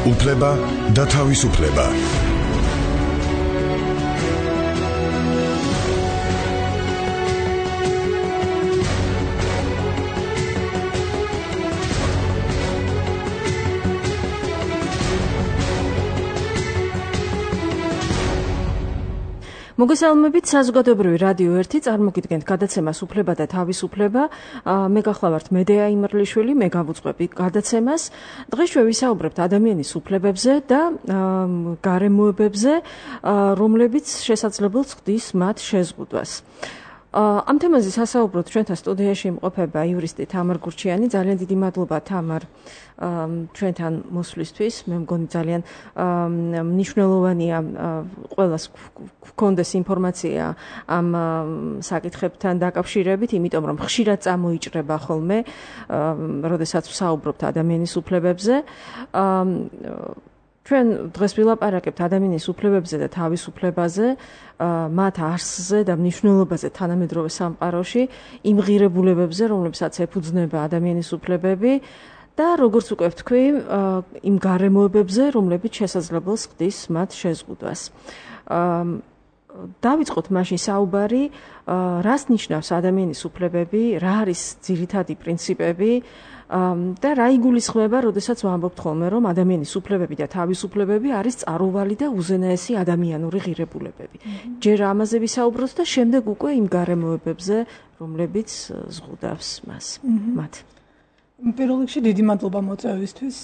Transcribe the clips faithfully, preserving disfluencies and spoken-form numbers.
უფლება და თავისუფლება. მოგესალმებით, საზოგადოებრივი რადიო ერთი წარმოგიდგენთ გადაცემას უფლება და თავისუფლება. მე გახლავართ მედეა იმერლიშვილი, მე გავუძღვები გადაცემას. დღეს ჩვენ ვისაუბრებთ ადამიანის უფლებებზე და გარემოებებზე, რომლებიც შესაძლებელს ხდის მათ შეზღუდვას. ამ თემაზე სასაუბროთ ჩვენთან სტუდიაში იმყოფება იურისტი თამარ გურჩიანი. ძალიან დიდი მადლობა თამარ ჩვენთან მოსვლისთვის. მე მგონი ძალიან მნიშვნელოვანია ყველას გქონდეს ინფორმაცია ამ საკითხებთან დაკავშირებით, იმიტომ რომ ხშირად წამოიჭრება ხოლმე, როდესაც ვსაუბრობთ ადამიანის უფლებებზე. ჩვენ დღეს ვილაპარაკებთ ადამიანის უფლებებზე და თავისუფლებაზე, მათ არსზე და მნიშვნელობაზე თანამედროვე სამყაროში, იმ ღირებულებებზე, რომლებსაც ეფუძნება ადამიანის უფლებები და როგორც უკვე ვთქვი, იმ გარემოებებზე, რომლებიც შესაძლებელს ხდის მათ შეზღუდვას. დავიწყოთ მაშინ საუბარი, რას ნიშნავს ადამიანის უფლებები, რა არის ძირითადი პრინციპები და რა იგულისხმება, როდესაც ვამბობთ ხოლმე, რომ ადამიანის უფლებები და თავისუფლებები არის წყაროვალი და უზენაესი ადამიანური ღირებულებები. ჯერ ამაზე ვისაუბროთ და შემდეგ უკვე იმ გარემოებებზე, რომლებიც ზღუდავს მას. მათ. პირველ რიგში დიდი მადლობა მოწვევისთვის.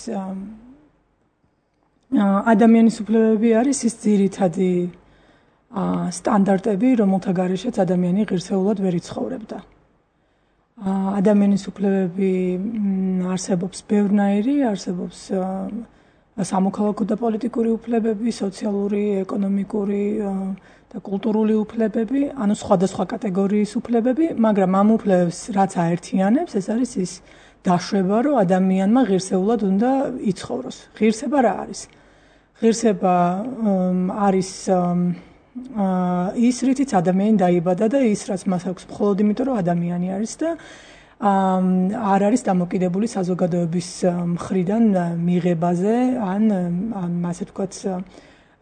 ადამიანის უფლებები არის ის ძირითადი სტანდარტები, რომელთა გარეშეც ადამიანი ღირსეულად ვერ იცხოვრებდა. ადამიანის უფლებები არსებობს ბევრნაირი, არსებობს სამოქალაქო და პოლიტიკური უფლებები, სოციალური, ეკონომიკური და კულტურული უფლებები, ანუ სხვადასხვა კატეგორიის უფლებები, მაგრამ ამ უფლებებს რაც აერთიანებს, ეს არის ის დაშვება, რომ ადამიანმა ღირსეულად უნდა იცხოვროს. ღირსება რა არის? ღირსება არის ის რითიც ადამიანი დაიბადა და ის რაც მას აქვს მხოლოდ იმიტომ რომ ადამიანი არის და არ არის დამოკიდებული საზოგადოების მხრიდან მიღებაზე ან ასე ვთქვათ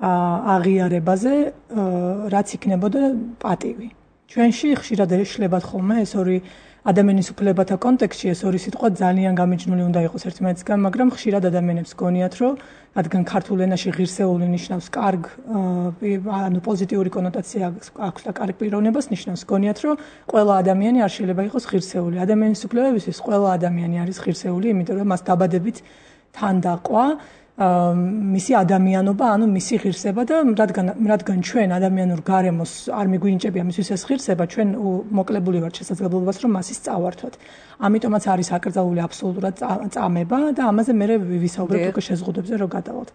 აღიარებაზე, რაც იქნებოდა პატივი. ჩვენში ხშირად ეშლებათ ხოლმე ეს ორი ადამიანის უფლებათა კონტექსტში ეს ორი სიტყვა ძალიან გამიჯნული უნდა იყოს ერთმანეთისგან, მაგრამ ხშირად ადამიანებს გონიათ, რომ რადგან ქართულ ენაში ღირსეული ნიშნავს კარგ, ანუ პოზიტიური კონოტაცია აქვს და კარგ პიროვნებას ნიშნავს, გონიათ, რომ ყველა ადამიანი არ შეიძლება იყოს ღირსეული. ადამიანის უფლებებისთვის ყველა ადამიანი არის ღირსეული, იმიტომ რომ მას დაბადებით თან დაყვა მისი ადამიანობა, ანუ მისი ღირსება და რადგან რადგან ჩვენ ადამიანურ გარემოს არ მიგვინიჭებია მისთვის ეს ღირსება, ჩვენ მოკლებული ვართ შესაძლებლობას, რომ მასის წავართვათ. ამიტომაც არის აკრძალული აბსოლუტურად წამება და ამაზე მე ვისაუბრებ უკვე შეზღუდვებზე რომ გადავალთ.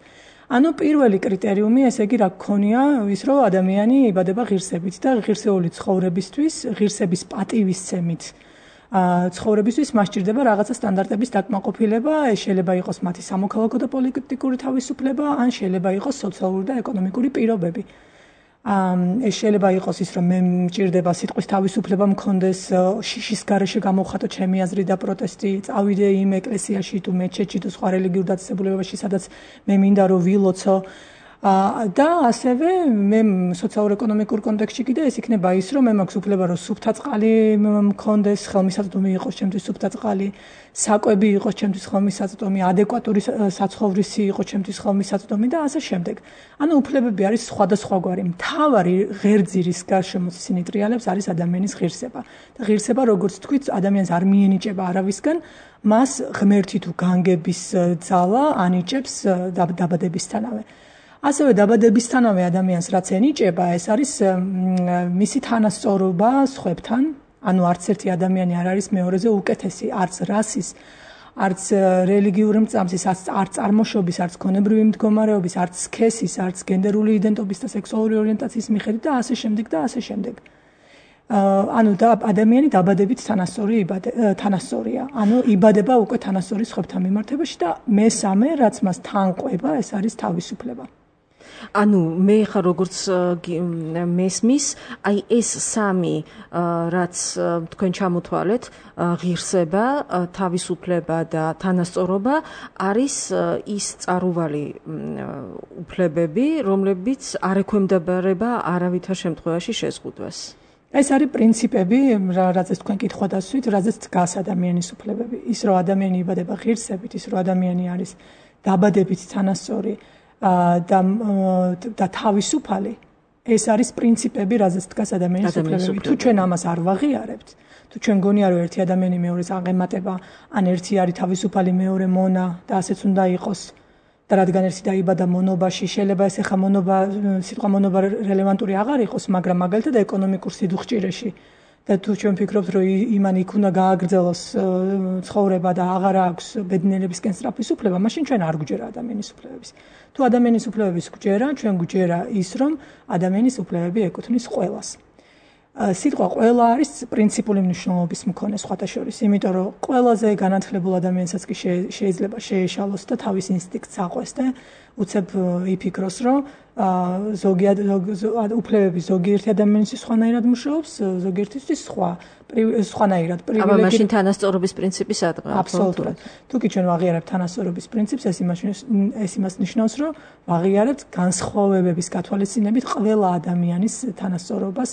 ანუ პირველი კრიტერიუმი, ესე იგი რა გქონია, ის რომ ადამიანი იბადება ღირსებით და ღირსეული ცხოვრებისთვის, ღირსების პატივისცემით ცხოვრებისთვის მას სჭირდება რაღაცა სტანდარტების დაკმაყოფილება, ეს შეიძლება იყოს მათი სამოქალაქო და პოლიტიკური თავისუფლება, ან შეიძლება იყოს სოციალური და ეკონომიკური პირობები. ეს შეიძლება იყოს ის, რომ მე მჭირდება სიტყვის თავისუფლება მქონდეს, შიშის გარეშე გამოვხატო ჩემი აზრი და პროტესტი, წავიდე იმ ეკლესიაში თუ მეჩეთში თუ სხვა რელიგიურ დაწესებულებაში, სადაც მე მინდა რომ ვილოცო. და ასევე მე სოციალურ-ეკონომიკურ კონტექსტში კიდე ეს იქნება ის, რომ მე მაქვს უფლება, რომ სუფთა წყალი მქონდეს, ხელმისაწვდომი იყოს ჩემთვის სუფთა წყალი, საკვები იყოს ჩემთვის ხელმისაწვდომი, ადეკვატური საცხოვრისი იყოს ჩემთვის ხელმისაწვდომი და ასე შემდეგ. ანუ უფლებები არის სხვადასხვაგვარი. მთავარი ღერძი, რის გარშემოც ისინი ტრიალებს, არის ადამიანის ღირსება. და ღირსება, როგორც თქვით, ადამიანს არ მიენიჭება არავისგან, მას ღმერთი თუ განგების ძალა ანიჭებს დაბადებისთანავე. ასევე დაბადებისთანავე ადამიანს რაც ენიჭება, ეს არის მისი თანასწორობა სხვებთან, ანუ არც ერთი ადამიანი არ არის მეორეზე უკეთესი, არც რასის, არც რელიგიური მრწამსის, არც წარმოშობის, არც ქონებრივი მდგომარეობის, არც სქესის, არც გენდერული იდენტობის და სექსუალური ორიენტაციის მიხედვით და ასე შემდეგ და ასე შემდეგ. ანუ ადამიანი დაბადებით თანასწორი თანასწორია, ანუ იბადება უკვე თანასწორი სხვებთან მიმართებაში და მესამე, რაც მას თან ყვება, ეს არის თავისუფლება. ანუ მე ხარ როგორც მესმის, აი ეს სამი რაც თქვენ ჩამოთვალეთ, ღირსება, თავისუფლება და თანასწორობა არის ის წარუვალი უფლებები, რომლებიც არ ექვემდებარება არავითარ შემთხვევაში შეზღუდვას. ეს არის პრინციპები, რაზეც თქვენ კითხვა დასვით, რაზეც დგას ადამიანის უფლებები. ის რომ ადამიანი იბადება ღირსებით, ის რომ ადამიანი არის დაბადებით თანასწორი და და თავისუფალი, ეს არის პრინციპები, რაზეც დგას ადამიანის უფლებები. თუ ჩვენ ამას არ ვაღიარებთ, თუ ჩვენ გონია რომ ერთი ადამიანი მეორეს აღემატება, ან ერთი არის თავისუფალი, მეორე მონა და ასეც უნდა იყოს. და რადგან ერთი დაიბადა მონობაში, შეიძლება ეს ახლა მონობა, სიტყვა მონობა რელევანტური აღარ იყოს, მაგრამ მაგალითად ეკონომიკურ სიდუხჭირეში და თუ ჩვენ ვფიქრობთ, რომ იმან იქ უნდა გააგრძელოს ცხოვრება და აღარ აქვს ბედნიერებისკენ სწრაფის უფლება, მაშინ ჩვენ არ გვჯერა ადამიანის უფლებების. თუ ადამიანის უფლებების გვჯერა, ჩვენ გვჯერა ის, რომ ადამიანის უფლებები ეკუთვნის ყველას. სიტყვა ყველა არის პრინციპული მნიშვნელობის მქონე სხვათა შორის, იმიტომ რომ ყველაზე განათლებულ ადამიანსაც კი შეიძლება შეეშალოს და თავის ინსტინქტს აყვეს და უცებ იფიქროს, რომ ზოგიერთ უფლებები ზოგიერთი ადამიანისთვის სხვანაირად მუშაობს, ზოგიერთისთვის სხვა სხვანაირად პრივილეგირებული. აბა მაშინ თანასწორობის პრინციპი სადღაა? აბსოლუტურად. თუ კი ჩვენ ვაღიარებთ თანასწორობის პრინციპს, ეს იმას ეს იმას ნიშნავს, რომ ვაღიარებთ განსხვავებების გათვალისწინებით ყველა ადამიანის თანასწორობას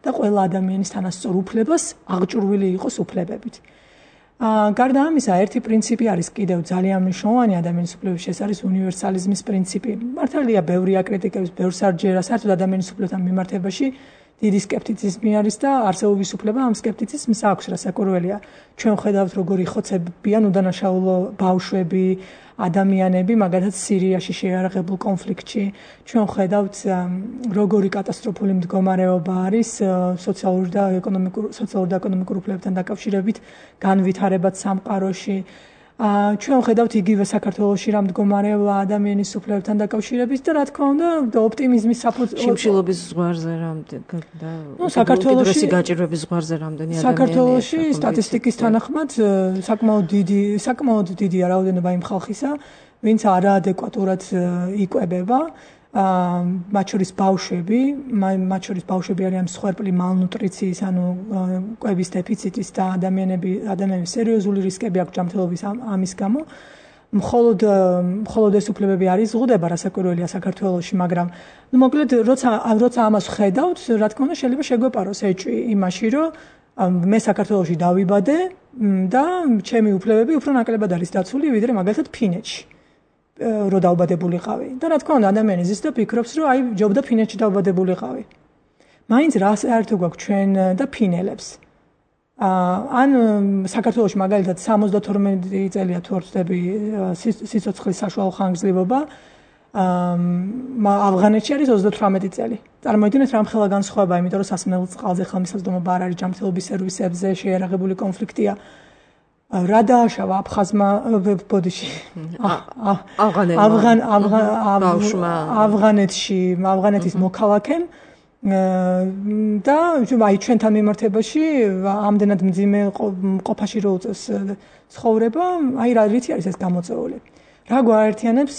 და ყველა ადამიანის თანასწორ უფლებას აღჭურვილი იყოს უფლებებით. გარდა ამისა, ერთი პრინციპი არის კიდევ ძალიან მნიშვნელოვანი ადამიანის უფლებებში, ეს არის უნივერსალიზმის პრინციპი. მართალია, ბევრი აკრიტიკებს, ბევრს არ ჯერა, საერთოდ ადამიანის უფლებებთან მიმართებაში დიდი სკეპტიციზმი არის და არსებობის უფლება ამ სკეპტიციზმს აქვს, რასაკვირველია. ჩვენ ხედავთ, როგორი ხოცებიან უდანაშაულო ბავშვები, ადამიანები, მაგალითად სირიაში შეიარაღებულ კონფლიქტში. ჩვენ ხედავთ, როგორი კატასტროფული მდგომარეობა არის სოციალური და ეკონომიკური სოციალური და ეკონომიკური უფლებებთან დაკავშირებით განვითარებად სამყაროში. ჩვენ ხედავთ იგივე საქართველოში რა მდგომარეობა ადამიანის უფლებებთან დაკავშირებით და რა თქმა უნდა ოპტიმიზმის საფუძველი შიმშილობის ზღვარზე რამდენი და საქართველოში გაჭირვების ზღვარზე რამდენი ადამიანი საქართველოში სტატისტიკის თანახმად საკმაოდ დიდი საკმაოდ დიდია რაოდენობა იმ ხალხისა, ვინც არაადეკვატურად იკვებება. მათ შორის ბავშვები, მათ შორის ბავშვები არიან მსხვერპლი მალნუტრიციის, ანუ კვების დეფიციტის და ადამიანები, ადამიანების სერიოზული რისკები აქვს ჯანმრთელობის ამის გამო. მხოლოდ მხოლოდ ეს უფლებები არ იზღუდება, რასაკვირველია საქართველოში, მაგრამ ნუ მოკლედ, როცა როცა ამას ხედავთ, რა თქმა უნდა, შეიძლება შეგვეპაროს ეჭვი იმაში, რომ მე საქართველოში დავიბადე და ჩემი უფლებები უფრო ნაკლებად არის დაცული, ვიდრე მაგალითად ფინეთში. რო დაუბადებულიყავი. და რა თქმა უნდა, ადამიანი ზის და ფიქრობს, რომ აი ჯობდა ფინეთში დაუბადებულიყავი. მაინც რა საერთო გვაქვს ჩვენ და ფინელებს. ან საქართველოში მაგალითად სამოცდათორმეტი წელია თუ არ ვცდები სიცოცხლის საშუალო ხანგრძლივობა, ავღანეთში არის ოცდათვრამეტი წელი. წარმოიდგინეთ რამხელა განსხვავება, იმიტომ რომ სასმელო წყალზე ხელმისაწვდომობა არ არის ჯანმრთელობის სერვისებზე, შეიარაღებული კონფლიქტია. რა დააშავა აფხაზმა ბოდიში ავღან ავღანეთში ავღანეთის მოქალაქემ და აი ჩვენთან მიმართებაში ამდენად მძიმე ყოფაში რო უწევს ცხოვრება, აი რა რითი არის ეს გამოწვეული. რა გვაერთიანებს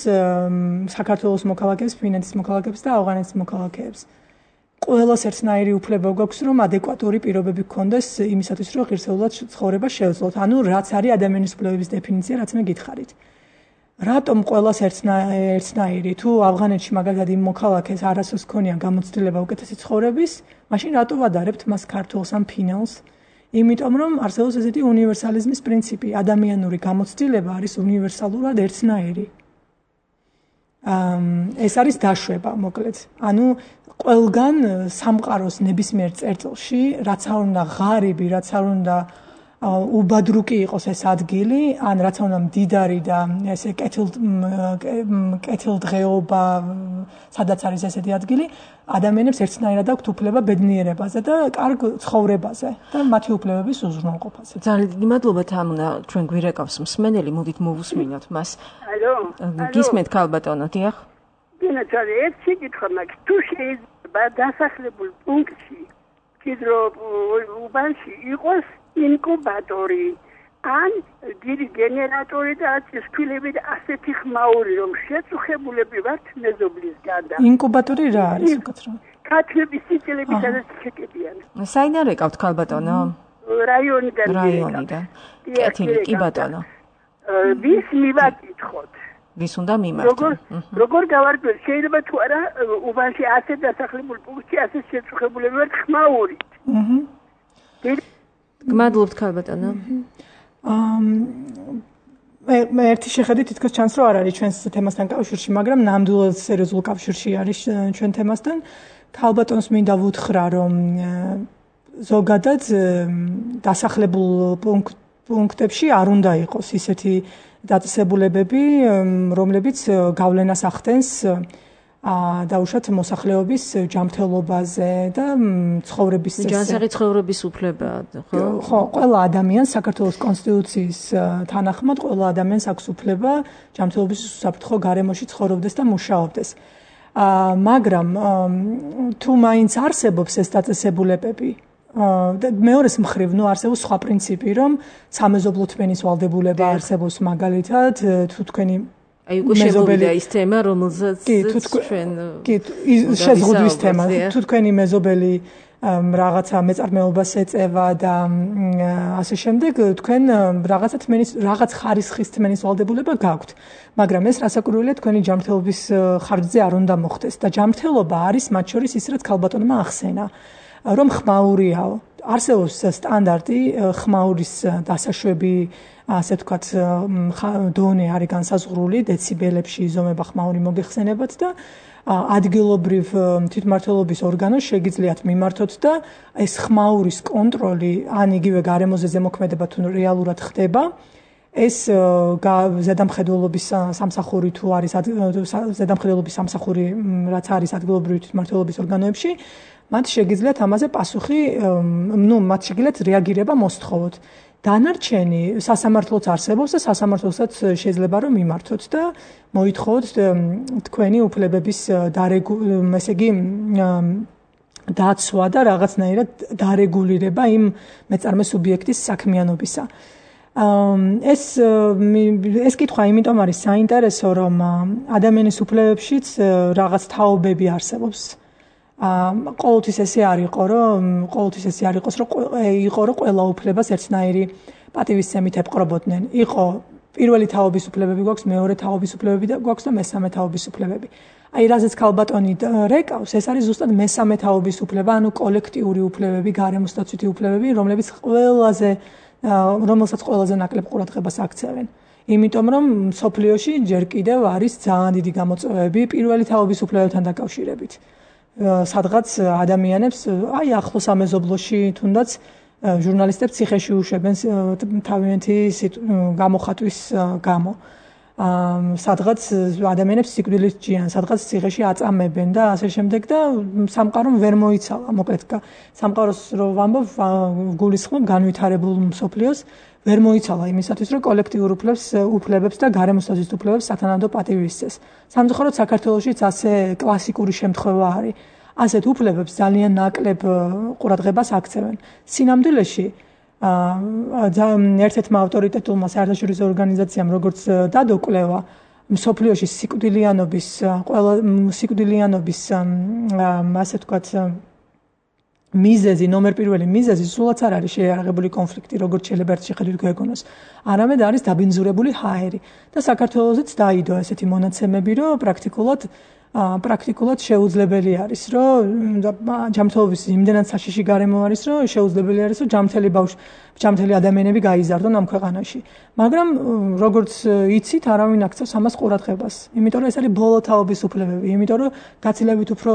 საქართველოს მოქალაქეებს, ფინეთის მოქალაქეებს და ავღანეთის მოქალაქეებს? ყველას ერთნაირი უფლება გვაქვს, რომ ადეკვატური პირობები გქონდეს იმისათვის, რომ ღირსეულად ცხოვრება შევძლოთ. ანუ რაც არის ადამიანის უფლებების დეფინიცია, რაც მე გითხარით. რატომ ყველას ერთნაირი? თუ ავღანეთში მაგალითად იმ მოქალაქეს არასდროს ქონია გამოცდილება უკეთესი ცხოვრების, მაშინ რატო ვადარებთ მას ქართველს ან ფინელს? იმიტომ რომ არსებობს ესეთი უნივერსალიზმის პრინციპი, ადამიანური გამოცდილება არის უნივერსალურად ერთნაირი. ეს არის დაშვება, მოკლედ. ანუ ყველგან სამყაროს ნებისმიერ წერტილში, რაც არ უნდა ღარიბი, რაც არ უნდა უბადრუკი იყოს ეს ადგილი, ან რაც არ უნდა მდიდარი და ესე კეთილდღეობა, სადაც არის ესეთი ადგილი, ადამიანებს ერთნაირად აქვთ უფლება ბედნიერებაზე და კარგ ცხოვრებაზე და მათი უფლებების უზრუნველყოფაზე. ძალიან დიდი მადლობა თამუნა, ჩვენ გვირეკავს მსმენელი, მოდით მოვუსმინოთ მას. ალო, გისმენთ ქალბატონო, დიახ. დინაცარი ერთი კითხვა მაქვს, თუ შეიძლება დასახლებულ პუნქტში, კიდრო უბანში იყოს ინკუბატორი, ან დიდი გენერატორი და ცისქვილები და ასეთი ხმაური რომ შეწუხებულები ვართ მეზობლისგან და ინკუბატორი რა არის უკაცრავ? ქათმების სიწილები სადაც შეკებიან. საიდან ეკავთ ქალბატონო? რაიონიდან. რაიონიდან. კეთილი, კი ბატონო. ვის მივაკითხოთ? ვის უნდა მიმართო? როგორ როგორ გავარკვიოთ? შეიძლება თუ არა უბანში ასე დასახლებულ პუნქტში ასე შეწუხებულები ვართ ხმაურით. აჰა. გმადლობთ ქალბატონო. აა მე ერთი შეხედვით თითქოს ჩანს რომ არ არის ჩვენს თემასთან კავშირში, მაგრამ ნამდვილად სერიოზულ კავშირში არის ჩვენ თემასთან. ქალბატონს მინდა ვუთხრა, რომ ზოგადად დასახლებულ პუნქტებში არ უნდა იყოს ისეთი დაწესებულებები, რომლებიც გავლენას ახდენს დაუშვათ მოსახლეობის ჯანმრთელობაზე და ცხოვრების წესზე. ჯანსაღი ცხოვრების უფლებაა, ხო? ხო, ყველა ადამიანს საქართველოს კონსტიტუციის თანახმად ყველა ადამიანს აქვს უფლება ჯანმრთელობის უსაფრთხო გარემოში ცხოვრობდეს და მუშაობდეს. მაგრამ თუ მაინც არსებობს ეს დაწესებულებები, მეორეს მხრივ, ნუ არსებობს სხვა პრინციპი, რომ სამეზობლო თმენის ვალდებულება არსებობს მაგალითად, თუ თქვენი აი უკვე შემოვიდა ის თემა, რომელზეც ჩვენ კი, შეზღუდვის თემა, თუ თქვენი მეზობელი რაღაცა მეწარმეობას ეწევა და ასე შემდეგ, თქვენ რაღაცა თმენის, რაღაც ხარისხის თმენის ვალდებულება გაქვთ. მაგრამ ეს რასაკვირველია თქვენი ჯანმრთელობის ხარჯზე არ უნდა მოხდეს და ჯანმრთელობა არის მათ შორის ის, რაც ქალბატონმა ახსენა, რომ ხმაურიაო. არსებობს სტანდარტი ხმაურის დასაშვები, ასე ვთქვათ, დონე არის განსაზღვრული, დეციბელებში იზომება ხმაური მოგეხსენებათ და ადგილობრივ თვითმმართველობის ორგანოს შეგიძლიათ მიმართოთ და ეს ხმაურის კონტროლი, ან იგივე გარემოზე ზემოქმედება თუ რეალურად ხდება, ეს ზედამხედველობის სამსახური თუ არის ზედამხედველობის სამსახური, რაც არის ადგილობრივი თვითმმართველობის ორგანოებში, მათ შეგიძლიათ ამაზე პასუხი, ნუ მათ შეგიძლიათ რეაგირება მოსთხოვოთ. დანარჩენი სასამართლოც არსებობს და სასამართლოსაც შეიძლება რომ მიმართოთ და მოითხოვოთ თქვენი უფლებების დარეგულირება, ესე იგი დაცვა და რაღაცნაირად დარეგულირება იმ მეწარმე სუბიექტის საქმიანობისა. ეს ეს კითხვა იმიტომ არის საინტერესო, რომ ადამიანის უფლებებშიც რაღაც თაობები არსებობს. ყოველთვის ესე არ იყო, რომ ყოველთვის ესე არ იყოს, რომ იყო რომ ყველა უფლებას ერთნაირი პატივისცემით ეპყრობოდნენ. იყო პირველი თაობის უფლებები გვაქვს, მეორე თაობის უფლებები და გვაქვს და მესამე თაობის უფლებები. აი, რაზეც ქალბატონი რეკავს, ეს არის ზუსტად მესამე თაობის უფლება, ანუ კოლექტიური უფლებები, გარემოსდაცვითი უფლებები, რომლებიც ყველაზე რომელსაც ყველაზე ნაკლებ ყურადღებას აქცევენ. იმიტომ რომ სოფლიოში ჯერ კიდევ არის ძალიან დიდი გამოწვევები პირველი თაობის უფლებებთან დაკავშირებით. სადღაც ადამიანებს, აი ახლო სამეზობლოში თუნდაც ჟურნალისტებს ციხეში უშვებენ თავიანთი გამოხატვის გამო. სადღაც ადამიანებს სიკვდილით ჯიან, სადღაც ციხეში აწამებენ და ასე შემდეგ და სამყარო ვერ მოიცალა. მოკლედ სამყაროს რო ვამბობ, გულისხმობ განვითარებულ მსოფლიოს ვერ მოიცალა იმისათვის, რომ კოლექტიურ უფლებს, უფლებებს და გარემოსდაცვით უფლებებს სათანადო პატივი ისცეს. სამწუხაროდ საქართველოშიც ასე კლასიკური შემთხვევა არის. ასეთ უფლებებს ძალიან ნაკლებ ყურადღებას აქცევენ. სინამდვილეში ერთ-ერთმა ავტორიტეტულმა საერთაშორისო ორგანიზაციამ, როგორც დადო კვლევა, მსოფლიოში სიკვდილიანობის ყველა სიკვდილიანობის ასე ვთქვათ მიზეზი, ნომერ პირველი მიზეზი სულაც არ არის შეიარაღებული კონფლიქტი, როგორც შეიძლება ერთ შეხედვით გვეგონოს. არამედ არის დაბინძურებული ჰაერი და საქართველოსაც დაიდო ესეთი მონაცემები, რომ პრაქტიკულად პრაქტიკულად შეუძლებელი არის, რომ ჯანმრთელობის იმდენად საშიში გარემო არის, რომ შეუძლებელი არის, რომ ჯანმრთელი ბავშვი, ჯანმრთელი ადამიანები გაიზარდონ ამ ქვეყანაში. მაგრამ როგორც იცით, არავინ აქცევს ამას ყურადღებას. იმიტომ რომ ეს არის ბოლო თაობის უფლებები, იმიტომ რომ გაცილებით უფრო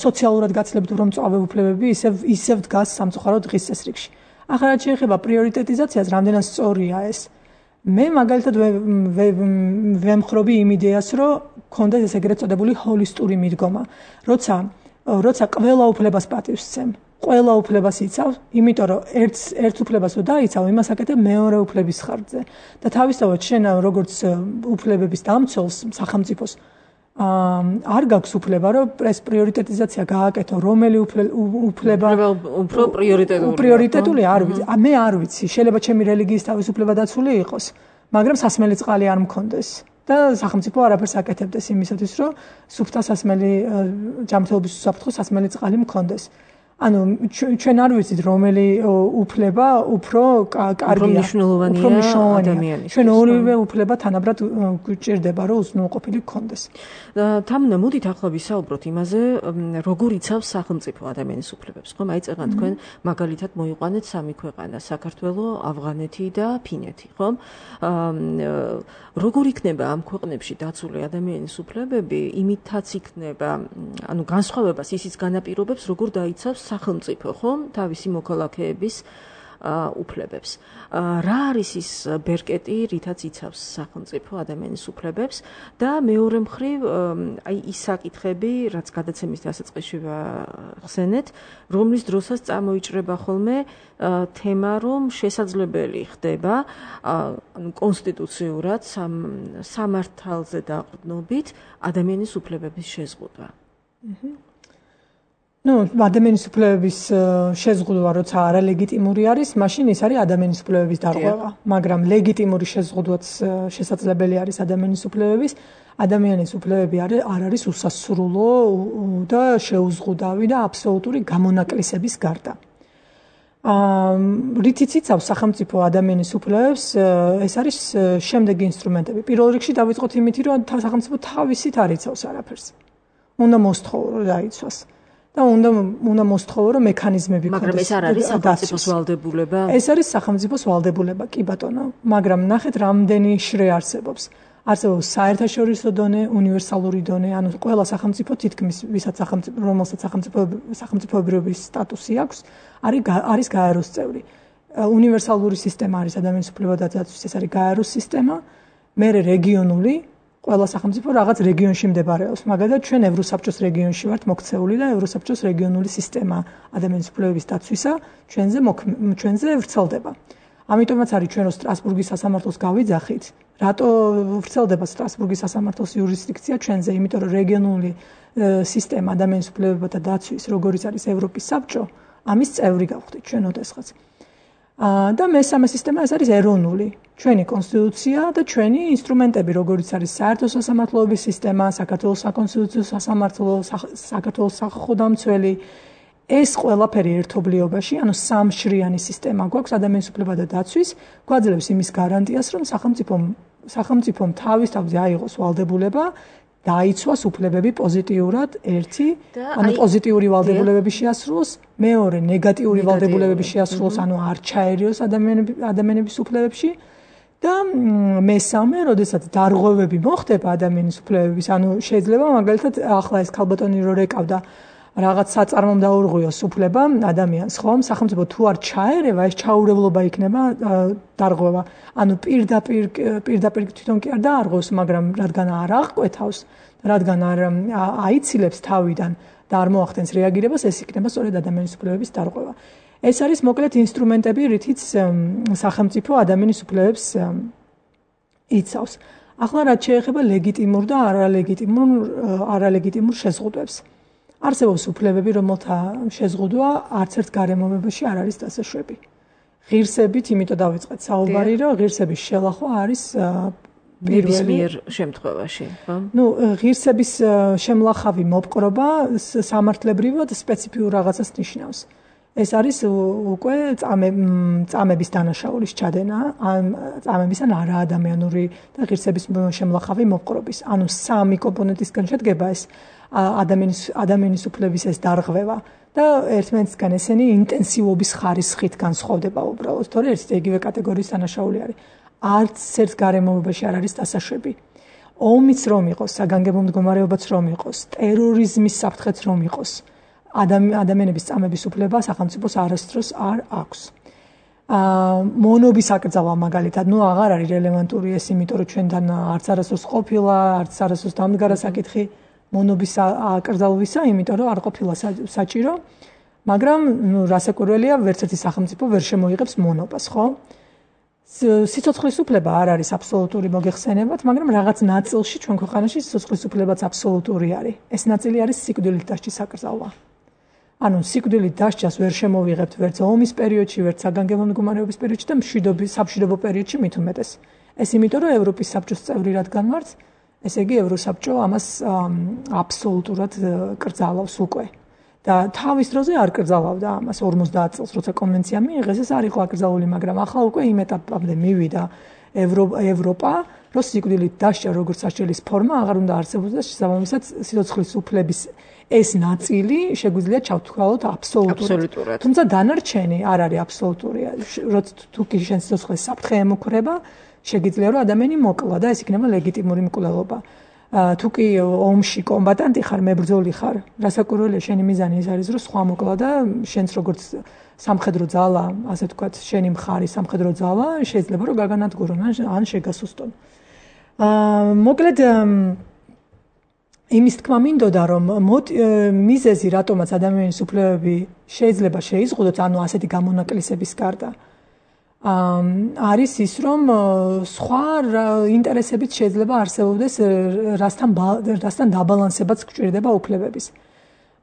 სოციალურად გაცილებით უფრო მწვავე უფლებები ისევ ისევ დგას სამწუხაროდ დღის წესრიგში. ახლა შეიძლება პრიორიტეტიზაციას, რამდენად სწორია ეს. მე მაგალითად ვემხრობი იმ იდეას, რომ ქონდეს ეს ეგრეთ წოდებული ჰოლისტური მიდგომა, როცა როცა ყველა უფლებას პატივს სცემ, ყველა უფლებას იცავ, იმიტომ რომ ერთ ერთ უფლებას რო დაიცავ, იმას აკეთებ მეორე უფლების ხარჯზე. და თავისთავად შენ როგორც უფლებების დამცველს, სახელმწიფოს არ გაქვს უფლება, რომ ეს პრიორიტეტიზაცია გააკეთო, რომელი უფლება უფრო პრიორიტეტულია. პრიორიტეტული არ ვიცი. მე არ ვიცი, შეიძლება ჩემი რელიგიის თავისუფლება დაცული იყოს, მაგრამ სასმელი წყალი არ მქონდეს. და სახელმწიფო არაფერს აკეთებდეს იმისათვის, რომ სუფთა სასმელი ჯანმრთელობის უსაფრთხო სასმელი წყალი მქონდეს. ანუ ჩვენ არ ვიცით რომელი უფლება უფრო კარგია, უფრო მნიშვნელოვანია. ჩვენ ორივე უფლება თანაბრად გვჭირდება, რომ უზრუნველყოფილი გქონდეს. თამნა, მოდით ახლა ვისაუბროთ იმაზე, როგორ იცავს სახელმწიფო ადამიანის უფლებებს, ხომ? აი წეგან თქვენ მაგალითად მოიყვანეთ სამი ქვეყანა, საქართველო, ავღანეთი და ფინეთი, ხომ? როგორ იქნება ამ ქვეყნებში დაცული ადამიანის უფლებები, იმითაც იქნება, ანუ განსხვავებას ისიც განაპირობებს, როგორ დაიცავს სახელმწიფო, ხომ, თავისი მოქალაქეების უფლებებს. რა არის ის ბერკეტი, რითაც იცავს სახელმწიფო ადამიანის უფლებებს და მეორე მხრივ, აი ის საკითხები, რაც გადაცემის დასაწყისში ხსენეთ, რომლის დროსაც წამოიჭრება ხოლმე თემა, რომ შესაძლებელი ხდება, ანუ კონსტიტუციურად სამართალზე დაყრდნობით ადამიანის უფლებების შეზღუდვა. ნუ ადამიანის უფლებების შეზღუდვა როცა არალეგიტიმური არის, მაშინ ის არის ადამიანის უფლებების დარღვევა, მაგრამ ლეგიტიმური შეზღუდვაც შესაძლებელი არის ადამიანის უფლებების. ადამიანის უფლებები არ არის უსასრულო და შეუზღუდავი და აბსოლუტური გამონაკლისების გარდა. რითიც იცავს სახელმწიფო ადამიანის უფლებებს, ეს არის შემდეგი ინსტრუმენტები. პირველ რიგში დავიწყოთ იმით, რომ სახელმწიფო თავისით არ იცავს არაფერს. უნდა მოსთხოვო, რომ დაიცვას. და უნდა უნდა მოსთხოვო, რომ მექანიზმები ქონდეს. მაგრამ ეს არ არის სახელმწიფოს ვალდებულება. ეს არის სახელმწიფოს ვალდებულება, კი ბატონო, მაგრამ ნახეთ რამდენი შრე არსებობს. არსებობს საერთაშორისო დონე, უნივერსალური დონე, ანუ ყველა სახელმწიფო თითქმის ვისაც სახელმწიფო, რომელსაც სახელმწიფო სახელმწიფოებრიობის სტატუსი აქვს, არის არის გაეროს წევრი. უნივერსალური სისტემა არის ადამიანის უფლებათა დაცვის, ეს არის გაეროს სისტემა, მერე რეგიონული ყველა სახელმწიფო რაღაც რეგიონში მდებარეობს. მაგალითად, ჩვენ ევროსაბჭოს რეგიონში ვართ მოქცეული და ევროსაბჭოს რეგიონული სისტემა ადამიანის უფლებების დაცვისა ჩვენზე ჩვენზე ვრცელდება. ამიტომაც არის ჩვენ რო სტრასბურგის სასამართლოს გავიძახით, რატო ვრცელდება სტრასბურგის სასამართლოს იურისდიქცია ჩვენზე, იმიტომ რომ რეგიონული სისტემა ადამიანის უფლებათა დაცვის, როგორიც არის ევროპის საბჭო, ამის წევრი გავხდით ჩვენ ოდესღაც. და მესამე სისტემა ეს არის ეროვნული, ჩვენი კონსტიტუცია და ჩვენი ინსტრუმენტები, როგორიც არის საერთო სასამართლოების სისტემა, საქართველოს საკონსტიტუციო სასამართლო, საქართველოს სახალხო დამცველი, ეს ყველაფერი ერთობლიობაში, ანუ სამშრიანი სისტემა გვაქვს ადამიანის უფლებათა დაცვის, გვაძლევს იმის გარანტიას, რომ სახელმწიფომ სახელმწიფომ თავის თავზე აიღოს ვალდებულება დაიცვას უფლებები პოზიტიურად, ერთი, ანუ პოზიტიური ვალდებულებები შეასრულოს, მეორე ნეგატიური ვალდებულებები შეასრულოს, ანუ არ ჩაერიოს ადამიანების უფლებებში და მესამე, როდესაც დარღვევები მოხდება ადამიანის უფლებების, ანუ შეიძლება მაგალითად ახლა ეს ქალბატონი რო რეკავდა რაღაც საწარმომ დაურღვიოს უფლება ადამიანს, ხომ? სახელმწიფო თუ არ ჩაერევა, ეს ჩაურევლობა იქნება დარღვევა. ანუ პირდაპირ პირდაპირ თვითონ კი არ დაარღვევს, მაგრამ რადგან არ აღკვეთავს, რადგან არ აიცილებს თავიდან და არ მოახდენს რეაგირებას, ეს იქნება სწორედ ადამიანის უფლებების დარღვევა. ეს არის მოკლედ ინსტრუმენტები, რითიც სახელმწიფო ადამიანის უფლებებს იცავს. ახლა რაც შეეხება ლეგიტიმურ და არალეგიტიმურ არალეგიტიმურ შეზღუდვებს. არსებობს უფლებები, რომელთა შეზღუდვა არც ერთ გარემოებაში არ არის დასაშვები. ღირსებით, იმიტომ დავიწყეთ საუბარი, რომ ღირსების შელახვა არის პირველი შემთხვევაში, ხო? ნუ ღირსების შემლახავი მოპყრობა სამართლებრივად სპეციფიურ რაღაცას ნიშნავს. ეს არის უკვე წამების დანაშაულის ჩადენა, წამების ან არაადამიანური და ღირსების შემლახავი მოპყრობის. ანუ სამი კომპონენტისგან შედგება ეს ადამიანის ადამიანის უფლების ეს დარღვევა და ერთმანეთისგან ესენი ინტენსივობის ხარისხით განსხვავდება უბრალოდ, თორე ერთ იგივე კატეგორიის დანაშაული არის. არც ერთ გარემოებაში არ არის დასაშვები. ომიც რომ იყოს, საგანგებო მდგომარეობაც რომ იყოს, ტერორიზმის საფრთხეც რომ იყოს, ადამიანების წამების უფლება სახელმწიფოს არასდროს არ აქვს. მონობის აკრძალვა მაგალითად, ნუ აღარ არის რელევანტური ეს, იმიტომ რომ ჩვენთან არც არასდროს ყოფილა, არც არასდროს დამდგარა საკითხი მონობის აკრძალვისა, იმიტომ რომ არ ყოფილა საჭირო, მაგრამ ნუ რასაკვირველია, ვერც ერთი სახელმწიფო ვერ შემოიღებს მონობას, ხო? სიცოცხლის უფლება არ არის აბსოლუტური მოგეხსენებათ, მაგრამ რაღაც ნაწილში ჩვენ ქვეყანაში სიცოცხლის უფლებაც აბსოლუტური არის. ეს ნაწილი არის სიკვდილით დასჯის საკრძალვა. ანუ სიკვდილით დასჯას ვერ შემოვიღებთ ვერც ომის პერიოდში, ვერც საგანგებო მდგომარეობის პერიოდში და მშვიდობის საბჭოთა პერიოდში მით უმეტეს. ეს იმიტომ, რომ ევროპის საბჭოს წევრი რადგან ვართ, ესე იგი ევროსაბჭო ამას აბსოლუტურად კრძალავს უკვე. და თავის დროზე არ კრძალავდა ამას ორმოცდაათ წელს, როცა კონვენცია მიიღეს, ეს არ იყო აკრძალული, მაგრამ ახლა უკვე იმ ეტაპამდე მივიდა ევროპა, რომ სიკვდილით დასჯა როგორც სასჯელის ფორმა აღარ უნდა არსებობდეს, შესაბამისად სიცოცხლის უფლების ეს ნაწილი შეგვიძლია ჩავთვალოთ აბსოლუტურად. თუმცა დანარჩენი არ არის აბსოლუტური. როცა თუ კი შენ სიცოცხლის საფრთხე ემუქრება, შეგიძლია რომ ადამიანი მოკლა და ეს იქნება ლეგიტიმური მკვლელობა. თუ კი ომში კომბატანტი ხარ, მებრძოლი ხარ, რასაკვირველია შენი მიზანი ის არის, რომ სხვა მოკლა და შენც როგორც სამხედრო ძალა, ასე ვთქვათ, შენი მხარი სამხედრო ძალა შეიძლება რომ გაგანადგურონ ან შეგასუსტონ. აა მოკლედ იმის თქმა მინდოდა, რომ მიზეზი რატომაც ადამიანის უფლებები შეიძლება შეიზღუდოთ, ანუ ასეთი გამონაკლისების გარდა არის ის, რომ სხვა ინტერესებიც შეიძლება არსებობდეს, რასთან რასთან დაბალანსებაც გვჭირდება უფლებების.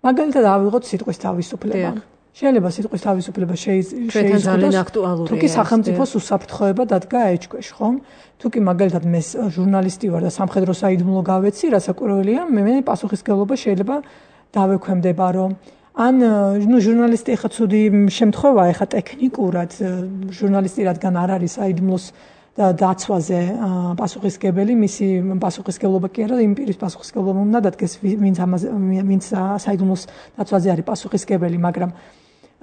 მაგალითად, ავიღოთ სიტყვის თავისუფლება. შეიძლება სიტყვის თავისუფლება შეიზღუდოს, თუ კი სახელმწიფოს უსაფრთხოება დადგა ეჭქვეშ, ხომ? თუ კი მაგალითად მე ჟურნალისტი ვარ და სამხედრო საიდუმლო გავეცი, რასაკვირველია, მე პასუხისმგებლობა შეიძლება დავექვემდება, რომ ან ნუ ჟურნალისტი ხა ცუდი შემთხვევაა, ხა ტექნიკურად ჟურნალისტი რადგან არ არის საიდუმლოს დაცვაზე პასუხისმგებელი, მისი პასუხისმგებლობა კი არა, იმ პირის პასუხისმგებლობა უნდა დადგეს, ვინც ამაზე ვინც საიდუმლოს დაცვაზე არის პასუხისმგებელი, მაგრამ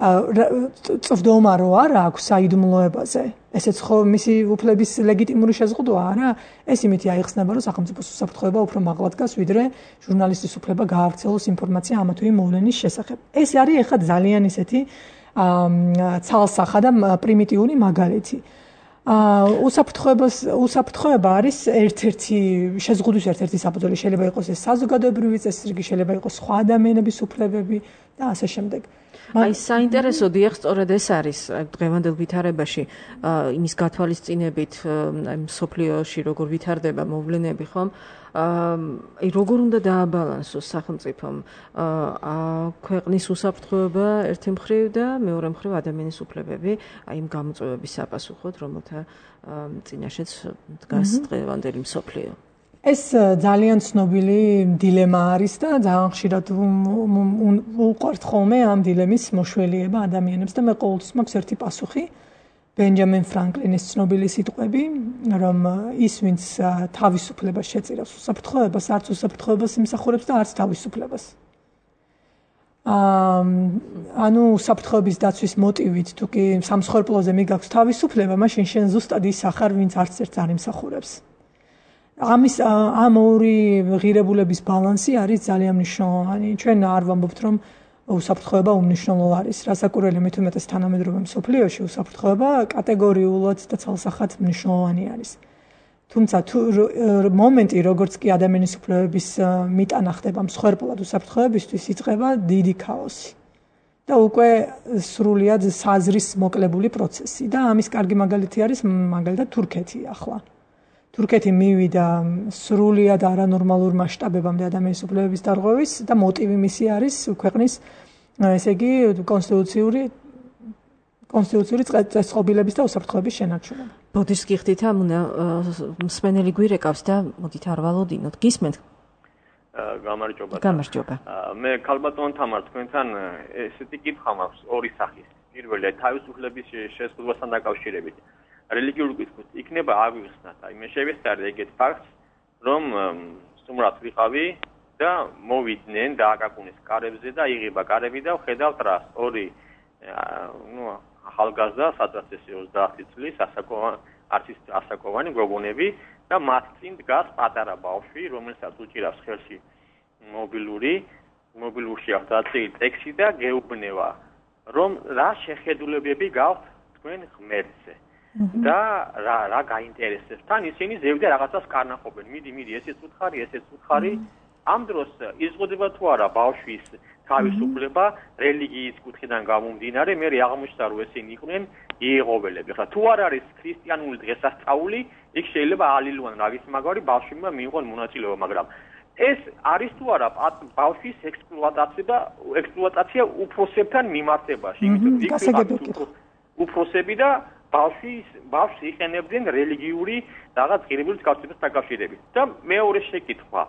წვდომა რო არა აქვს საიდუმლოებაზე, ესეც ხო მისი უფლების ლეგიტიმური შეზღუდვა არა? ეს იმითი აიხსნება, რომ სახელმწიფოს უსაფრთხოება უფრო მაღლა დგას, ვიდრე ჟურნალისტის უფლება გაავრცელოს ინფორმაცია ამა თუ იმ მოვლენის შესახებ. ეს არის ეხლა ძალიან ისეთი ცალსახა და პრიმიტიული მაგალითი. უსაფრთხოებას უსაფრთხოება არის ერთ-ერთი შეზღუდვის ერთ-ერთი საფუძველი, შეიძლება იყოს ეს საზოგადოებრივი წესრიგი, შეიძლება იყოს სხვა ადამიანების უფლებები და ასე შემდეგ. აი საინტერესო დიახ, სწორედ ეს არის დღევანდელ ვითარებაში იმის გათვალისწინებით, აი სოფლიოში როგორ ვითარდება მოვლენები, ხომ? აი როგორ უნდა დააბალანსოს სახელმწიფომ ქვეყნის უსაფრთხოება ერთი მხრივ და მეორე მხრივ ადამიანის უფლებები, აი იმ გამოწვევების საპასუხოდ, რომელთა წინაშეც დგას დღევანდელი მსოფლიო. ეს ძალიან ცნობილი დილემა არის და ძალიან ხშირად უყვართ ხოლმე ამ დილემის მოშველიება ადამიანებს და მე ყოველთვის მაქვს ერთი პასუხი, ბენჯამინ ფრანკლინის ცნობილი სიტყვები, რომ ის ვინც თავისუფლებას შეწირავს უსაფრთხოებას, არც უსაფრთხოებას იმსახურებს და არც თავისუფლებას. ანუ უსაფრთხოების დაცვის მოტივით, თუ კი სამსხვერპლოზე მიგაქვს თავისუფლება, მაშინ შენ ზუსტად ის ახარ, ვინც არც ერთს არ იმსახურებს. ამის ამ ორი ღირებულების ბალანსი არის ძალიან მნიშვნელოვანი. ჩვენ არ ვამბობთ, რომ უსაფრთხოება უმნიშვნელო არის. რასაკვირველია, მით უმეტეს თანამედროვე მსოფლიოში უსაფრთხოება კატეგორიულად და ცალსახად მნიშვნელოვანი არის. თუმცა თუ მომენტი, როგორც კი ადამიანის უფლებების მიტანა ხდება მსხვერპლად უსაფრთხოებისთვის, იწყება დიდი ქაოსი. და უკვე სრულიად საზრის მოკლებული პროცესი და ამის კარგი მაგალითი არის მაგალითად თურქეთი ახლა. თურქეთი მივიდა სრულიად არანორმალურ მასშტაბებამდე ადამიანის უფლებების დარღვევის და მოტივი მისი არის ქვეყნის ესე იგი კონსტიტუციური კონსტიტუციური წესწყობილების და უსაფრთხოების შენარჩუნება. ბოდიშ გიხდით ამ მსმენელი გვირეკავს და მოდით არ ვალოდინოთ. გისმენთ? გამარჯობა. გამარჯობა. მე ქალბატონ თამარ თქვენთან ესეთი კითხვა მაქვს ორი სახის. პირველი თავისუფლების შეზღუდვასთან დაკავშირებით. რელიგიური კითხვით იქნება აღვიხსნათ, აი მე შევესწარი ეგეთ ფაქტს, რომ სტუმრად ვიყავი და მოვიდნენ და აკაკუნეს კარებზე და იღება კარები და ვხედავთ რას, ორი ნუ ახალგაზრდა, სადღაც ოცდაათი წლის ასაკოვანი, არც ასაკოვანი გოგონები და მათ წინ დგას პატარა ბავშვი, რომელსაც უჭირავს ხელში მობილური, მობილურში აქვს დაწილი ტექსტი და გეუბნება, რომ რა შეხედულებები გაქვთ თქვენ ღმერთზე. და რა რა გაინტერესებს თან ისინი ზევდა რაღაცას კარნახობენ მიდი მიდი ესეც უთხარი ესეც უთხარი ამ დროს იზღუდება თუ არა ბავშვის თავისუფლება რელიგიის კუთხიდან გამომდინარე, მე აღმოჩნდა რომ ესენი იყვნენ იეღოველები. ხა თუ არ არის ქრისტიანული დღესასწაული, იქ შეიძლება ალილუან რავის მაგარი ბავშვებმა მიიღონ მონაწილეობა, მაგრამ ეს არის თუ არა ბავშვის ექსპლუატაცია და ექსპლუატაცია უფროსებთან მიმართებაში, იმიტომ რომ იქ უფროსები და ბავშვის ბავშვს იყენებდნენ რელიგიური რაღაც ღირებულის გასწრებას დაკავშირებით. და მეორე შეკითხვა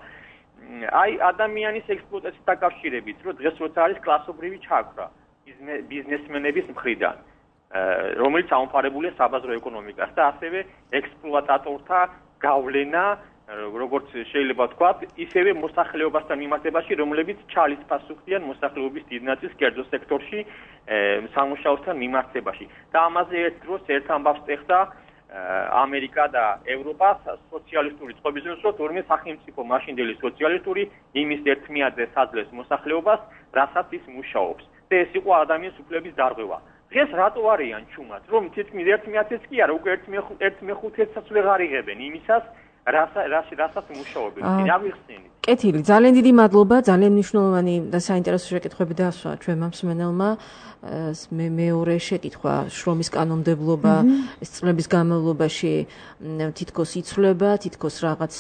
აი ადამიანის ექსპლუატაციას დაკავშირებით, რომ დღეს როცა არის კლასობრივი ჩაქრა ბიზნესმენების მხრიდან, რომელიც აუმფარებულია საბაზრო ეკონომიკას და ასევე ექსპლუატატორთა გავლენა, როგორც შეიძლება ვთქვათ, ისევე მოსახლეობასთან მიმართებაში, რომლებიც ჩალის პასუხიან მოსახლეობის დიდ ნაწილს კერძო სექტორში სამუშაოსთან მიმართებაში. და ამაზე ერთ დროს ერთ ამბავს ეხდა ამერიკა და ევროპა სოციალისტური წყობის დროს, თორმე სახელმწიფო მაშინდელი სოციალისტური იმის ერთმიადზე საძლევს მოსახლეობას, რასაც ის მუშაობს. და ეს იყო ადამიანის უფლების დარღვევა. დღეს რატო არიან ჩუმად, რომ თითქმის ერთმიათიც კი არა, უკვე ერთ მეხუთეცსაც ვეღარ იღებენ იმისას, რასაც მუშაობენ. რა ვიხსენით? კეთილი, ძალიან დიდი მადლობა, ძალიან მნიშვნელოვანი და საინტერესო შეკითხვები დასვა ჩვენმა მსმენელმა. მე მეორე შეკითხვა, შრომის კანონმდებლობა ეს წლების განმავლობაში თითქოს იცვლება, თითქოს რაღაც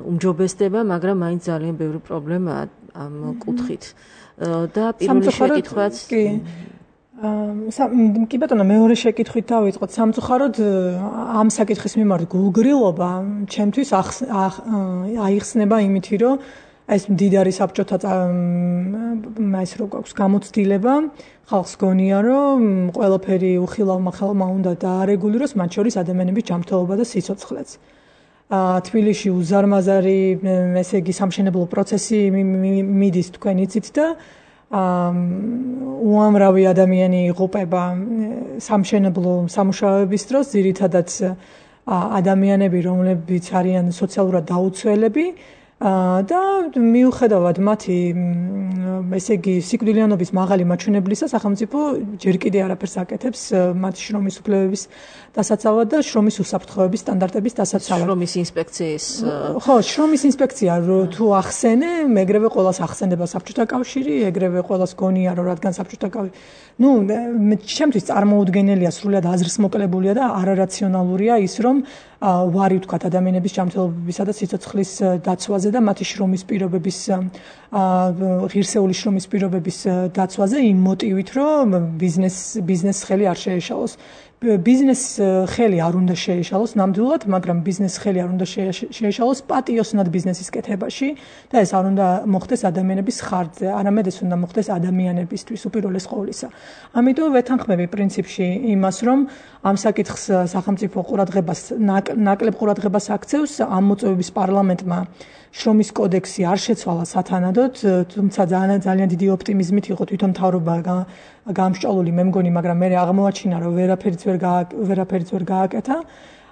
უმჯობესდება, მაგრამ მაინც ძალიან ბევრი პრობლემაა ამ კუთხით. და პირველი შეკითხვაც კი ბატონო, მეორე შეკითხვით დავიწყოთ. სამწუხაროდ ამ საკითხის მიმართ გულგრილობა ჩემთვის აიხსნება იმითი, რომ ეს მდიდარი საბჭოთა ეს რო გვაქვს გამოცდილება, ხალხს გონია, რომ ყველაფერი უხილავ-მახილავმა უნდა დაარეგულიროს, მათ შორის ადამიანების ჯანმრთელობა და სიცოცხლეც. თბილისში უზარმაზარი, ესე იგი, სამშენებლო პროცესი მიდის თქვენ იცით და უამრავი ადამიანი იღუპება სამშენებლო სამუშაოების დროს, ძირითადად ადამიანები, რომლებიც არიან სოციალურად დაუცველები და მიუხედავად მათი ესე იგი სიკვდილიანობის მაღალი მაჩვენებლისა, სახელმწიფო ჯერ კიდევ არაფერს აკეთებს მათი შრომის უფლებების დასაცავად და შრომის უსაფრთხოების სტანდარტების დასაცავად. შრომის ინსპექციის ხო, შრომის ინსპექცია თუ ახსენე, ეგრევე ყველას ახსენდება საბჭოთა კავშირი, ეგრევე ყველას გონია, რომ რადგან საბჭოთა კავშირი, ну, ჩემთვის წარმოუდგენელია, სრულად აზრს მოკლებულია და არარაციონალურია ის, რომ ვარი ვთქვათ ადამიანების ჯანმრთელობისა და სიცოცხლის დაცვაზე და მათი შრომის პირობების ღირსეული შრომის პირობების დაცვაზე იმ მოტივით, რომ ბიზნეს ბიზნეს ხელი არ შეეშალოს. ბიზნეს ხელი არ უნდა შეეშალოს ნამდვილად, მაგრამ ბიზნეს ხელი არ უნდა შეეშალოს პატიოსნად ბიზნესის კეთებაში და ეს არ უნდა მოხდეს ადამიანების ხარჯზე, არამედ ეს უნდა მოხდეს ადამიანებისთვის უპირველეს ყოვლისა. ამიტომ ვეთანხმები პრინციპში იმას, რომ ამ საკითხს სახელმწიფო ყურადღებას ნაკლებ ყურადღებას აქცევს, ამ მოწვევების პარლამენტმა შრომის კოდექსი არ შეცვალა სათანადოდ, თუმცა ძალიან ძალიან დიდი ოპტიმიზმით იყო თვითონ მთავრობა გამსჭვალული, მე მგონი, მაგრამ მე აღმოაჩინა, რომ ვერაფერიც ვერ ვერაფერიც ვერ გააკეთა.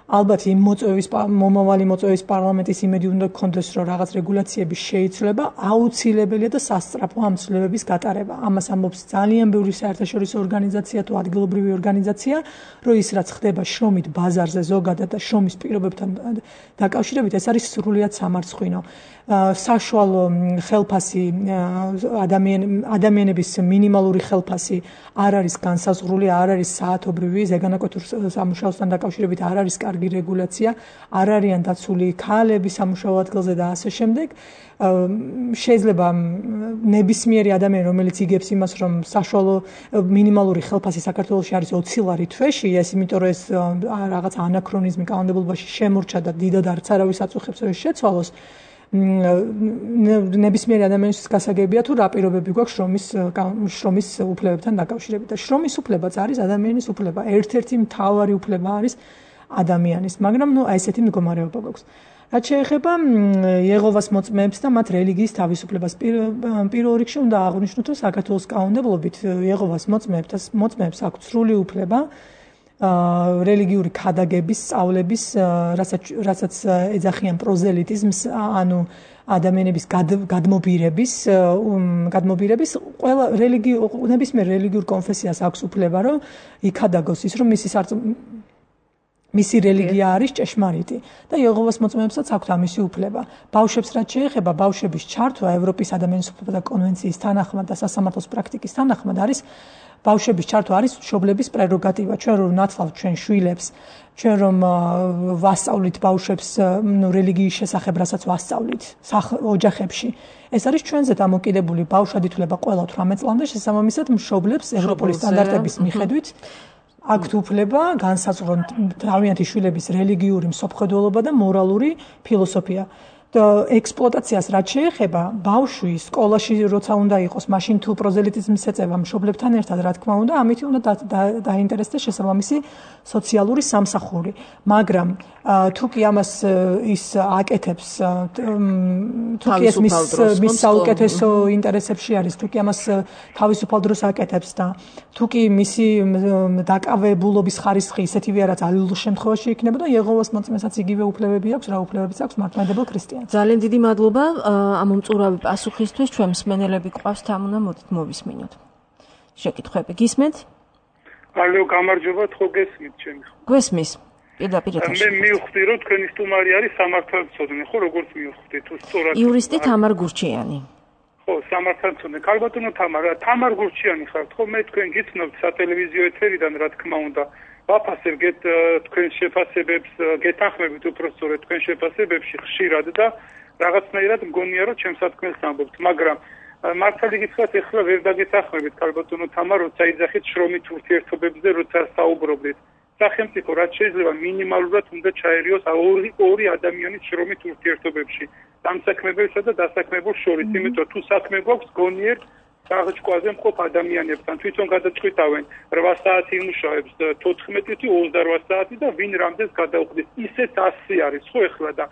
ალბათ იმ მოწვევის მომავალი მოწვევის პარლამენტის იმედი უნდა გქონდეს, რომ რაღაც რეგულაციები შეიცვლება, აუცილებელია და სასწრაფო ამ ცვლილებების გატარება. ამას ამბობს ძალიან ბევრი საერთაშორისო ორგანიზაცია თუ ადგილობრივი ორგანიზაცია, რომ ის რაც ხდება შრომით ბაზარზე ზოგადად და შრომის პირობებთან დაკავშირებით, ეს არის სრულიად სამარცხვინო. საშუალო ხელფასი ადამიანების მინიმალური ხელფასი არ არის განსაზღვრული, არ არის საათობრივი, ზეგანაკვეთურ სამუშაოსთან დაკავშირებით არ არის კარგი რეგულაცია, არ არიან დაცული ქალები სამუშაო ადგილზე და ასე შემდეგ. შეიძლება ნებისმიერი ადამიანი, რომელიც იგებს იმას, რომ საშუალო მინიმალური ხელფასი საქართველოში არის ოცი ლარი თვეში, ეს იმიტომ რომ ეს რაღაც ანაქრონიზმი კანონმდებლობაში შემორჩა და დიდად არც არავის აწუხებს რომ შეცვალოს. ნებისმიერი ადამიანისთვის გასაგებია თუ რა პირობები გვაქვს შრომის შრომის უფლებებთან დაკავშირებით და შრომის უფლებაც არის ადამიანის უფლება. ერთ-ერთი მთავარი უფლება არის ადამიანის, მაგრამ ნუ აი ესეთი მდგომარეობა გვაქვს. რაც შეეხება იეღოვას მოწმეებს და მათ რელიგიის თავისუფლებას, პირველ რიგში უნდა აღვნიშნოთ, რომ საქართველოს კანონმდებლობით იეღოვას მოწმეებს მოწმეებს აქვს სრული უფლება რელიგიური ქადაგების, სწავლების, რასაც ეძახიან პროზელიტიზმს, ანუ ადამიანების გადმობირების, გადმობირების ყველა რელიგიურ ნებისმიერ რელიგიურ კონფესიას აქვს უფლება, რომ იქადაგოს ის, რომ მისი მისი რელიგია არის ჭეშმარიტი და იეჰოვას მოწმეებსაც აქვთ ამისი უფლება. ბავშვებს რაც შეეხება, ბავშვების ჩართვა ევროპის ადამიანის უფლებათა კონვენციის თანახმად და სასამართლოს პრაქტიკის თანახმად არის ბავშვების ჩართვა არის მშობლების პრეროგატივა. ჩვენ რომ ნათლავთ ჩვენ შვილებს, ჩვენ რომ ვასწავლით ბავშვებს ნუ რელიგიის შესახებ, რასაც ვასწავლით ოჯახებში. ეს არის ჩვენზე დამოკიდებული ბავშვად ითვლება ყველა თვრამეტ წლამდე, შესაბამისად მშობლებს ევროპული სტანდარტების მიხედვით აქვთ უფლება განსაზღვრონ თავიანთი შვილების რელიგიური მსოფლმხედველობა და მორალური ფილოსოფია. ექსპლუატაციას რაც შეეხება, ბავშვი სკოლაში როცა უნდა იყოს, მაშინ თუ პროზელიტიზმს ეწევა მშობლებთან ერთად, რა თქმა უნდა, ამით უნდა დაინტერესდეს შესაბამისი სოციალური სამსახური. მაგრამ თუ კი ამას ის აკეთებს, თუ კი ეს მის საუკეთესო ინტერესებში არის, თუ კი ამას თავისუფალ დროს აკეთებს და თუ კი მისი დაკავებულობის ხარისხი ისეთივე რაც ალილურ შემთხვევაში იქნება და იეჰოვას მოწმესაც იგივე უფლებები აქვს, რა უფლებებიც აქვს მართლმადებელ ქრისტიანს. ძალიან დიდი მადლობა ამ უმწურავი პასუხისთვის. ჩვენ მსმენელები გვყავს თამუნა, მოდით მოვისმინოთ. შეკითხვები გისმენთ? ალო, გამარჯობა, ხო გესმით ჩემი? გვესმის. პირდაპირ ეთერში. მე მივხვდი, რომ თქვენი სტუმარი არის სამართალმცოდნე, ხო, როგორც მივხვდი, თუ სწორად. იურისტი თამარ გურჩიანი. ხო, სამართალმცოდნე. ქალბატონო თამარ, თამარ გურჩიანი ხართ, ხო, მე თქვენ გიცნობთ სატელევიზიო ეთერიდან, რა თქმა უნდა. ვაფასებთ თქვენ შეფასებებს, გეთანხმებით უпростоრეთ თქვენ შეფასებებში ხშირად და რაღაცნაირად მგონია რომ ჩემს თქვენს ამბობთ, მაგრამ მართალი გითხრათ, ეხლა ვერ დაგეთანხმებით ქალბატონო თამარ, როცა იძახით შრომით ურთიერთობებზე, როცა საუბრობდით. სახელმწიფო რაც შეიძლება მინიმალურად უნდა ჩაერიოს ორი ორი ადამიანის შრომით ურთიერთობებში, დამსაქმებელსა და დასაქმებულ შორის, იმიტომ თუ საქმე გვაქვს გონიერ საღჭკვაზე მყოფ ადამიანებთან თვითონ გადაწყვიტავენ რვა საათი იმუშავებს, თოთხმეტი თუ ოცდარვა საათი და ვინ რამდენს გადაუხდის. ისეთ ასი არის ხო ეხლა და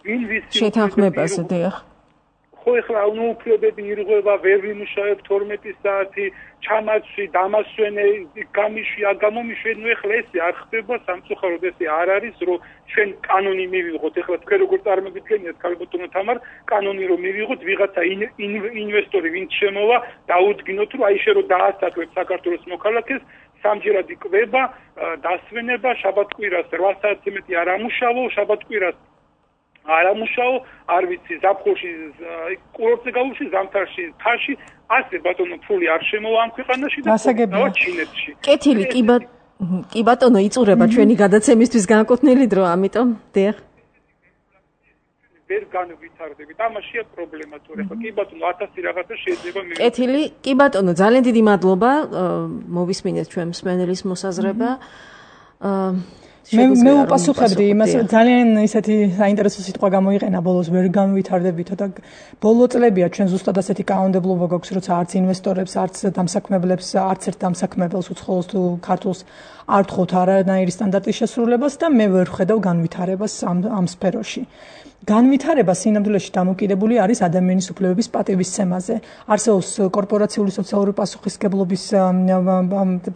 ვინ ვისი შეთანხმებაზე დიახ. ხო ეხლა ანუ უფლებები ირღვევა, ვერ ვიმუშავებ თორმეტი საათი, ჩამაცვი, დამასვენე, გამიშვი, აგამომიშვი, ნუ ეხლა ესე არ ხდება სამწუხაროდ, ესე არ არის, რომ ჩვენ კანონი მივიღოთ. ეხლა თქვენ როგორ წარმოგიდგენიათ ქალბატონო თამარ, კანონი რომ მივიღოთ, ვიღაცა ინვესტორი ვინც შემოვა, დაუდგინოთ, რომ აი შე რომ დაასაქმებ საქართველოს მოქალაქეს, სამჯერად იკვება, დასვენება, შაბათ-კვირას რვა საათზე მეტი არ ამუშავო, შაბათ-კვირას არ ამუშაო, არ ვიცი, ზაფხულში კურორტზე გავუშვი, ზამთარში თაში, ასე ბატონო ფული არ შემოვა ამ ქვეყანაში და დავა ჩინეთში. კეთილი, კი ბატონო, კი ბატონო, იწურება ჩვენი გადაცემისთვის განკუთვნილი დრო, ამიტომ დიახ. ვერ განვითარდებით. ამაშია პრობლემა თუ რა. კი ბატონო, ათასი რაღაცა შეიძლება მე. კეთილი, კი ბატონო, ძალიან დიდი მადლობა, მოვისმინეთ ჩვენ მსმენელის მოსაზრება. აა მე მე უპასუხებდი იმას, ძალიან ისეთი საინტერესო სიტყვა გამოიყენა ბოლოს, ვერ განვითარდებითო და ბოლო წლებია ჩვენ ზუსტად ასეთი კანონმდებლობა გვაქვს, როცა არც ინვესტორებს, არც დამსაქმებლებს, არც ერთ დამსაქმებელს უცხოელს თუ ქართულს არ თხოვთ არანაირი სტანდარტის შესრულებას და მე ვერ ვხედავ განვითარებას ამ ამ სფეროში. განვითარება სინამდვილეში დამოკიდებული არის ადამიანის უფლებების პატივისცემაზე. არსებობს კორპორაციული სოციალური პასუხისმგებლობის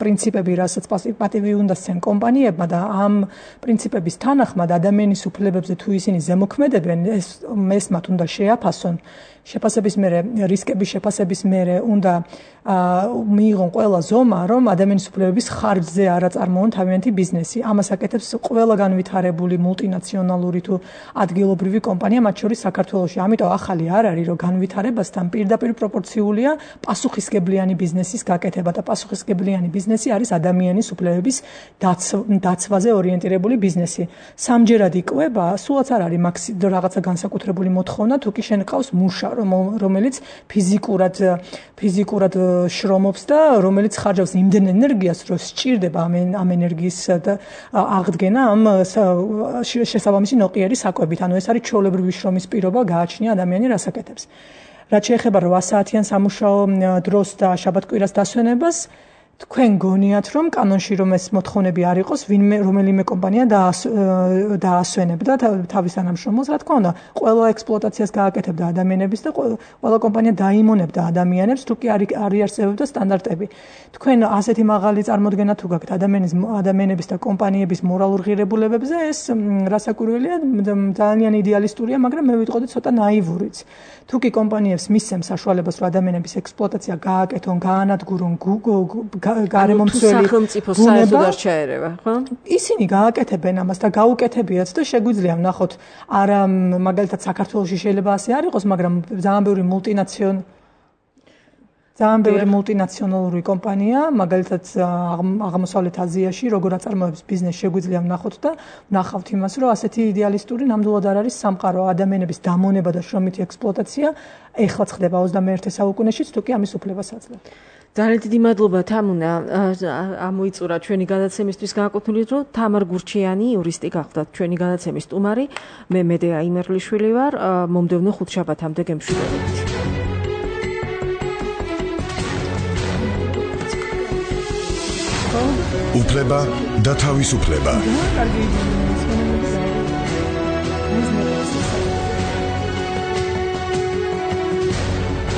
პრინციპები, რასაც პატივი უნდა სცენ კომპანიებმა და ამ პრინციპების თანახმად ადამიანის უფლებებზე თუ ისინი ზემოქმედებენ, ეს ეს მათ უნდა შეაფასონ. შეფასების მერე, რისკების შეფასების მერე უნდა მიიღონ ყველა ზომა, რომ ადამიანის უფლებების ხარჯზე არ აწარმოონ თავიანთი ბიზნესი. ამას აკეთებს ყველა განვითარებული მულტინაციონალური თუ ადგილობრივი კომპანია, მათ შორის საქართველოში. ამიტომ ახალი არ არის, რომ განვითარებასთან პირდაპირ პროპორციულია პასუხისმგებლიანი ბიზნესის გაკეთება და პასუხისმგებლიანი ბიზნესი არის ადამიანის უფლებების დაცვაზე ორიენტირებული ბიზნესი. სამჯერად იკვება, სულაც არ არის რაღაცა განსაკუთრებული მოთხოვნა, თუ კი შენ ყავს მუშა, რომელიც ფიზიკურად ფიზიკურად შრომობს და რომელიც ხარჯავს იმდენ ენერგიას, რომ სჭირდება ამ ამ ენერგიის აღდგენა ამ შესაბამისი ნოყიერი საკვებით. ანუ ეს არის ჩვეულებრივი შრომის პირობა, გააჩნია ადამიანი რას აკეთებს. რაც შეეხება რვა საათიან სამუშაო დროს და შაბათ-კვირას დასვენებას, თქვენ გონიათ, რომ კანონში რომ ეს მოთხოვნები არ იყოს, ვინმე რომელიმე კომპანია დაასვენებდა თავის თანამშრომელს, რა თქმა უნდა, ყველა ექსპლუატაციას გააკეთებდა ადამიანების და ყველა კომპანია დაიმონებდა ადამიანებს, თუ კი არ იარსებებდა სტანდარტები. თქვენ ასეთი მაღალი წარმოდგენა თუ გაქვთ ადამიანის ადამიანების და კომპანიების მორალურ ღირებულებებზე, ეს რასაკვირველია, ძალიან იდეალისტურია, მაგრამ მე ვიტყოდი ცოტა ნაივურიც. თუ კი კომპანიებს მისცემს საშუალებას, რომ ადამიანების ექსპლუატაცია გააკეთონ, გაანადგურონ, გარემომცველი სახელმწიფო საერთოდ არ ჩაერევა, ხო? ისინი გააკეთებენ ამას და გაუკეთებიათ და შეგვიძლია ვნახოთ, არა მაგალითად საქართველოში შეიძლება ასე არ იყოს, მაგრამ ძალიან ბევრი მულტინაციონალური ძალიან ბევრი მულტინაციონალური კომპანია, მაგალითად აღმოსავლეთ აზიაში, როგორ აწარმოებს ბიზნესს შეგვიძლია ვნახოთ და ვნახავთ იმას, რომ ასეთი იდეალისტური ნამდვილად არ არის სამყარო, ადამიანების დამონება და შრომითი ექსპლუატაცია ეხლა ხდება ოცდამეერთე საუკუნეშიც, თუ კი ამის უფლებას აძლევთ. ძალიან დიდი მადლობა თამუნა, ამოიწურა ჩვენი გადაცემისთვის განკუთვნილ, რომ თამარ გურჩიანი იურისტი გახდათ ჩვენი გადაცემის სტუმარი, მე მედეა იმერლიშვილი ვარ, მომდევნო ხუთშაბათამდე გემშვიდობებით. უფლება და თავისუფლება.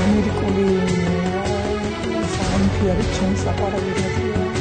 ამერიკული სამფიარი ჩემს საყვარელი